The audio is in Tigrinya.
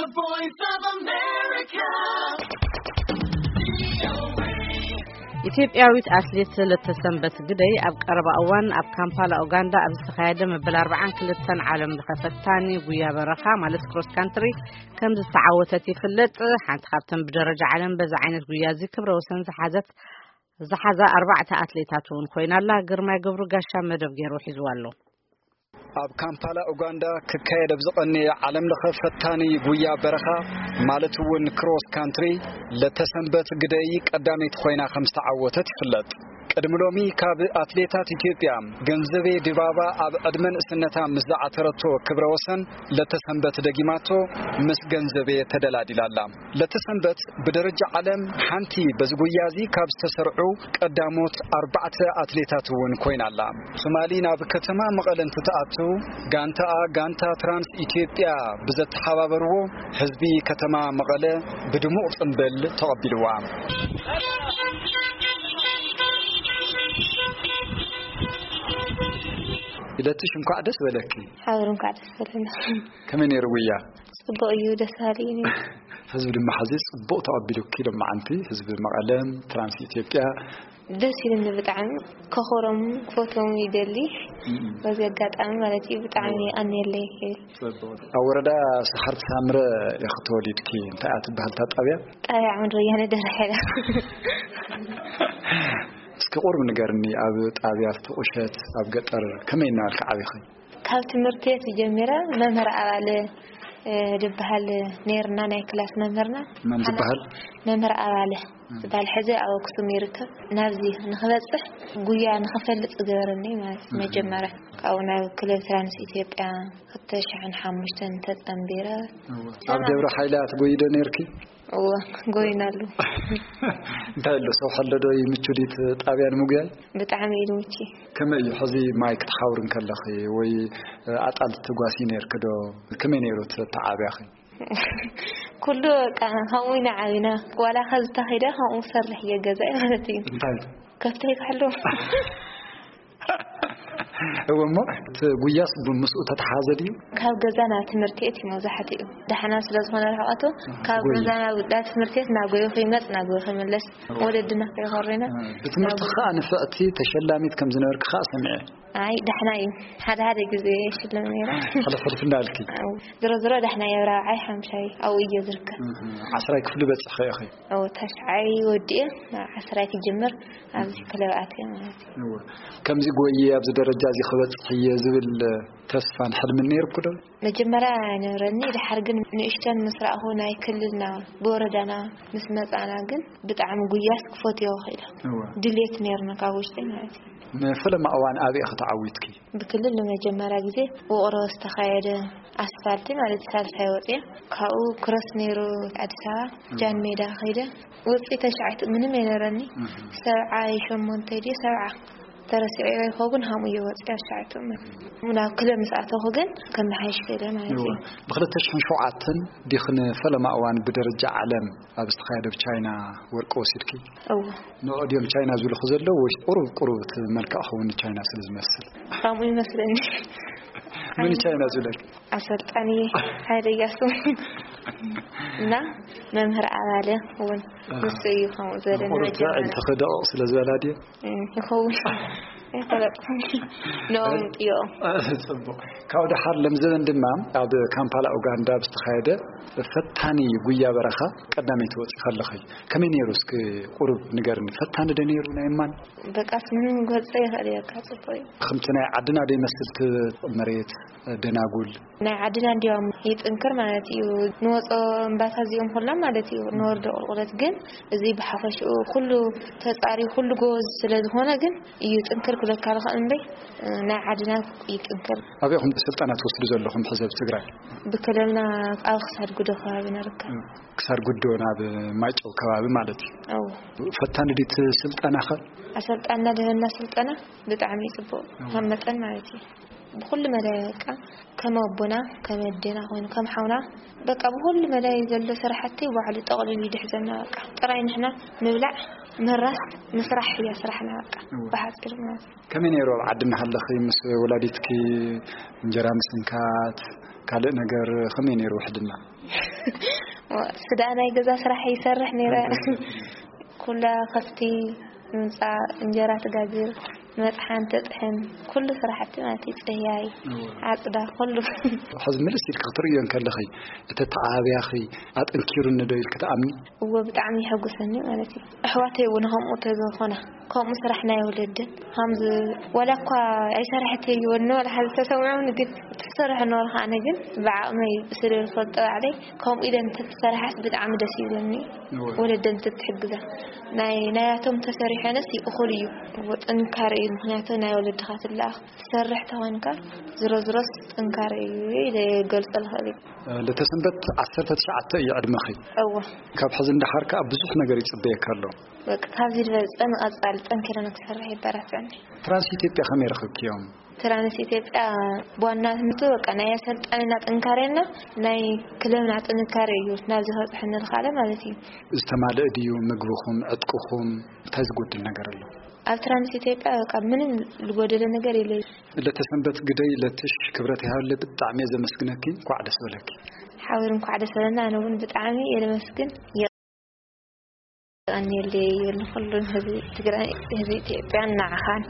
The Voice of America. ኢትዮጵያዊት ኣትሌት ለተሰንበት ግደይ ኣብ ቀረባ እዋን ኣብ ካምፓላ ኡጋንዳ ኣብ ዝተኻየደ መበል ኣርባዓን ክልተን ዓለም ለኸ ፈታኒ ጉያ በረኻ ማለት ክሮስ ካንትሪ ከም ዝተዓወተት ይፍለጥ። ሓንቲ ካብተን ብደረጃ ዓለም በዚ ዓይነት ጉያ እዚ ክብረ ወሰን ዝሓዘት ዝሓዛ ኣርባዕተ ኣትሌታት እውን ኮይና ኣላ። ግርማይ ገብሩ ጋሻ መደብ ገይሩ ሒዝዋ ኣሎ። ኣብ ካምፓላ ኡጋንዳ ክካየድ ኣብ ዝቐነየ ዓለም ለኸ ፈታኒ ጉያ በረኻ ማለት እውን ክሮስ ካንትሪ ለተሰንበት ግደይ ቀዳመይቲ ኮይና ከም ዝተዓወተት ይፍለጥ። ቅድሚ ሎሚ ካብ ኣትሌታት ኢትዮጵያ ገንዘቤ ድባባ ኣብ ዕድመ ንእስነታ ምስ ዝዓተረቶ ክብረ ወሰን ለተሰንበት ደጊማቶ ምስ ገንዘቤ ተደላዲላ ኣላ። ለተሰንበት ብደረጃ ዓለም ሓንቲ በዚ ጉያ እዚ ካብ ዝተሰርዑ ቀዳሞት ኣርባዕተ ኣትሌታት እውን ኮይና ኣላ። ትማሊ ናብ ከተማ መቐለ እንትትኣቱ ጋንታኣ ጋንታ ትራንስ ኢትዮጵያ ብዘተሓባበርዎ ህዝቢ ከተማ መቐለ ብድሙቕ ጽምብል ተቐቢልዋ። ኢለትሽ እንኳዕ ደስ በለኪ። ሓወር እንኳዕ ደስ በለና። ከመይ ነይሩ ጉያ? ጽቡቕ እዩ፣ ደስ በሃሊ እዩ ነይሩ። ህዝቢ ድማ ሕዚ ጽቡቕ ተቐቢሉኪ ሎማዓንቲ፣ ህዝቢ መቐለም፣ ትራንስ ኢትዮጵያ። ደስ ኢሉኒ ብጣዕሚ፣ ከኽብሮም ክፈትዎም ይደሊ። እም። በዚ ኣጋጣሚ ማለት እዩ፣ ብጣዕሚ እዋ። ኣንየለይ ይብል። ጽቡቕ። ኣብ ወረዳ ሰሓርቲ ሳምረ ኢኺ ተወሊድኪ፣ እንታይ እያ ትበሃል እታ ጣብያ? ጣብያ ዓምዲ ወያነ ደርሐ። እስኪ ቁሩብ ንገርኒ፣ ኣብ ጣብያ ቁሸት፣ ኣብ ገጠር ከመይ እናበልኪ ዓቢኺ? ካብ ትምህርቲ ቤት ጀሚረ መምህር ኣባለ፣ እ፣ ዝበሃል ነይርና፣ ናይ ክላስ መምህርና። መን ዝበሃል? መምህር ኣባለ እም። ዝበሃል፣ ሕዚ ኣብ ኣክሱም ይርከብ። ናብዚ ንኽበጽሕ ጉያ ንኽፈልጥ ዝገበረኒ ማለት እዩ። እም። መጀመርያ ካብኡ ናብ ክለብ ትራንስ ኢትዮጵያ ክልተ ሽሕን ሓሙሽተን ተጸንቢረ። እወ። ኣብ ሰላም። ደብረ ሓይላ ትጎይዶ ነይርኪ? እወ፣ ጎይናሉ። እንታይ ኣሎ፣ ሰውሒ ኣሎ ዶ? ይምቹ ድዩ እቲ ጣብያ ንምጉያይ? ብጣዕሚ እዩ ዝምቹ። ከመይ እዩ ሕዚ ማይ ክትሓውሪ እንከለኺ ወይ ኣጣል ትጓሲ ነይርኪ ዶ? ከመይ ነይሩ እቲ ኣተዓብያኺ? ኩሉ በቃ ከምኡ ኢና ዓቢና። ዋላ ከዚ ተኺደ ከምኡ ሰርሕ እየ ገዛይ ማለት እዩ። እንታይ? ከብተይ ክሕሉ። እወ፣ እሞ እቲ ጉያስ ብ-፣ ምስኡ ተተሓዘ ድዩ? ካብ ገዛ ናብ ትምህርቲ ቤት እዩ መብዛሕትኡ። ዳሕና ስለ ዝኾነ ርሕቐቱ፣ ካብ ጎይ። ገዛ ናብ፣ ናብ ትምህርቲ ቤት እናጎየ ክመጽ፣ እናጎየ ክምለስ፣ እወ። ወለድና ከይኾሬና። እ፣ ብትምህርቲ ናብ ከኣ ንፍዕቲ ተሸላሚት ከም ዝነበርኪ ከኣ ሰሚዐ። ኣይ፣ ዳሕና እዩ። ሓደ ሓደ ግዜ ይሽለም ነይረ። ሕልፍ ሕልፍ እንዳልኪ። ኣው፣ ዝሮ ዝሮ ዳሕና እየ፣ ራብዓይ፣ ሓምሻይ ኣብኡ እየ ዝርከብ። እህ፣ ዓስራይ ክፍሊ በጺሕኺ ኢኺ? ኣው፣ ታሽዓይ ወዲኤ፣ ዓስራይ ክጅምር፣ ኣብዚ ክለብ ኣትየ ማለት እዩ። እወ። ከምዚ ጎየ ኣብዚ ደረጃ እዚ ክበጽሕ እየ ዝብል ተስፋን ሕልምን ነይርኩ ዶ? መጀመርያ ኣይነበረኒ፣ ድሓር ግን ንእሽተን ምስ ረኣኹ ናይ ክልልና ብወረዳና ምስ መጻና ግን ብጣዕሚ ጉያስ ክፈትዮ ክኢለ። እወ። ድሌት ነይርኒ ካብ ውሽጠይ ማለት እዩ። ንፈለማ እዋን ኣበይ ኢኺ ተዓዊትኪ? ብክልል ንመጀመርያ ግዜ ውቕሮ ዝተኻየደ ኣስፋልቲ ማለት ሳልሳይ ወፅየ። ካብኡ ክሮስ ነይሩ ኣዲስ ኣበባ ጃን ሜዳ ከይደ። ውፅኢ ተሽዓይቱ ምንም ኣይነበረኒ። እህ። ሰብዓይ ሸሞንተ ድዩ ሰብዓ ተረሲዑ ይኸውን ሃሙ እየ ወፅየ ኣሽዓይቱ ማለት እዩ። ናብ ክለብ ምስ ኣተኹ ግን ከመሓይሽ ክእለ ማለት እዩ። እወ። ብክልተ ሽሕን ሸውዓተን ዲኽን ፈለማ እዋን ብደረጃ ዓለም ኣብ ዝተኻየደ ኣብ ቻይና ወርቂ ወሲድኪ? እወ። ንዑ ድዮም ቻይና ዝብልኹ ዘለዉ ወይስ ቁሩብ ቁሩብ እቲ መልክዕ ክኸውን ንቻይና ስለ ዝመስል? ከምኡ ይመስለኒ። መን ቻይና ዝብለኪ? ኣሰልጣኒ ሃይለ እያሱ እና መምህር ኣባለ እውን ኣሃ። ንሱ እዩ ከምኡ ዝበለኒ ንቁሩብ መጀመርያ። ትዕልቲ ክደቕቕ ስለ ዝበላ ድየ? እም፣ ይኸውን። ኣይፈለጥኩን። ኖም ጥዮ። ጽቡቕ። ካብ ደሓር ለምዘበን ድማ ኣብ ካምፓላ ኡጋንዳ ብዝተኻየደ ፈታኒ ጉያ በረኻ ቀዳመይቲ ወጺ ከለኺ ከመይ ነይሩ? እስኪ ቁሩብ ንገርኒ። ፈታኒ ዶ ነይሩ ናይ እማን? በቃስ ምንም ክገልጾ ይኽእል እየ፣ ካብ ጽቡቕ እዩ። ከምቲ ናይ ዓድና ዶ ይመስል እቲ መሬት ደናጉል? ናይ ዓድና እንዲያውም ይጥንክር ማለት እዩ። ንወጾ እምባታት እዚኦም ኩሎም ማለት እዩ፣ ንወርዶ ቁልቁለት ግን እዚ ብሓፈሽኡ ኩሉ ተጻሪ ኩሉ ጎበዝ ስለ ዝኾነ ግን እዩ ጥንክር ክብለካ ዝኽእል እምበይ፣ ናይ ዓድና ይጥንክር። ኣበይ ኢኹም ስልጠና ትወስዱ ዘለኹም ሕዚ ኣብ ትግራይ? ብክልልና ኣብ ክሳድ ጉዶ ከባቢ ንርከብ። ክሳድ ጉዶ ናብ ማይጨው ከባቢ ማለት እዩ። እው። ፈታኒ ድዩ እቲ ስልጠናኸ? ኣሰልጣንና ደበና ስልጠና ብጣዕሚ እዩ ጽቡቕ፣ እው። ካብ መጠን ማለት እዩ። ብኹሉ መዳይ በቃ ከም ኣቦና፣ ከም ኣዴና ኮይኑ፣ ከም ሓውና በቃ ብኹሉ መዳይ ዘሎ ስራሕቲ ባዕሉ ጠቕሊሉ ይድሕዘና። በቃ ጥራይ ንሕና ምብላዕ፣ ምራስ፣ ምስራሕ እያ ስራሕና በቃ እወ። ብሓፂሩ ማለት እዩ። ከመይ ነይሩ ኣብ ዓዲ እናሃለኺ ምስ ወላዲትኪ እንጀራ ምስንካት፣ ካልእ ነገር ከመይ ነይሩ ውሕድና? ስዳ ናይ ገዛ ስራሕ ይሰርሕ ነይረ። ኩላ ከፍቲ ምምፃእ፣ እንጀራ ትጋግር፣ መጥሓን ተጥሕን፣ ኩሉ ስራሕቲ ማለት እዩ። ፅህያይ፣ ዓፅዳ፣ ኩሉ። ሕዚ ምልስ ኢልክ ክትርእዮ እንከለኺ፣ እቲ ተዓብያኺ ኣጠንኪሩኒ ዶ ኢልክ ትኣምኒ? እዎ፣ ብጣዕሚ ይሐጉሰኒ ማለት እዩ። ኣሕዋተይ እውን ከምኡ ተዝኾና፣ ከምኡ ስራሕ ናይ ወለድን ከምዚ፣ ዋላ እኳ ኣይሰርሐት ይወኒ ዋላ ሓዚ ተሰምዖም ግን ትሰርሕ ኖርካ። ኣነ ግን ብዓቕመይ ብስለ ዝፈልጦ ባዕለይ ከምኡ ኢለን እንተትሰርሓስ ብጣዕሚ ደስ ይብለኒ። እወ። ወለደን እንተትሕግዛ ናይ ናያቶም ተሰሪሐንስ ይእኹል እዩ። እወ፣ ጥንካረ እዩ። ምክንያቱ ናይ ወለድኻ ትለኣኽ ትሰርሕ ተኾንካ ዝሮ ዝሮስ ጥንካረ እዩ ኢለ ይገልጾ ልኽእል እዩ። ለተሰንበት ዓሰርተ ትሽዓተ እዩ ዕድመኺ። እወ። ካብ ሕዚ እንዳሓር ከኣ ብዙሕ ነገር ይጽበየካ ኣሎ። በቃ ካብዚ ዝበለጸ ንቐጻሊ ጠንኪረ ንክሰርሕ ይበራትዕኒ። ትራንስ ኢትዮጵያ ከመይ ረኸብክዮም? ትራንስ ኢትዮጵያ ብዋናነቱ በቃ ናይ ኣሰልጣኒና ጥንካሬና ናይ ክለብና ጥንካሬ እዩ ናብዚ ከብጽሐኒ ዝኸኣለ ማለት እዩ። ዝተማልእ ድዩ ምግብኹም፣ ዕጥቅኹም? እንታይ ዝጎድል ነገር ኣሎ? ኣብ ትራንስ ኢትዮጵያ በቃ ምንም ዝጎደለ ነገር የለ። ለተሰንበት ግደይ ለትሽ ክብረት ይሃለ ብጣዕሚ እየ ዘመስግነኪ። እንኳዕ ደስ በለኪ። ሓወር እንኳዕ ደስ በለና። ኣነ እውን ብጣዕሚ እየ ዘመስግን። የቐንየለይ ይብል ንኹሉን ህዝቢ ትግራይ፣ ህዝቢ ኢትዮጵያን ንዓኻን።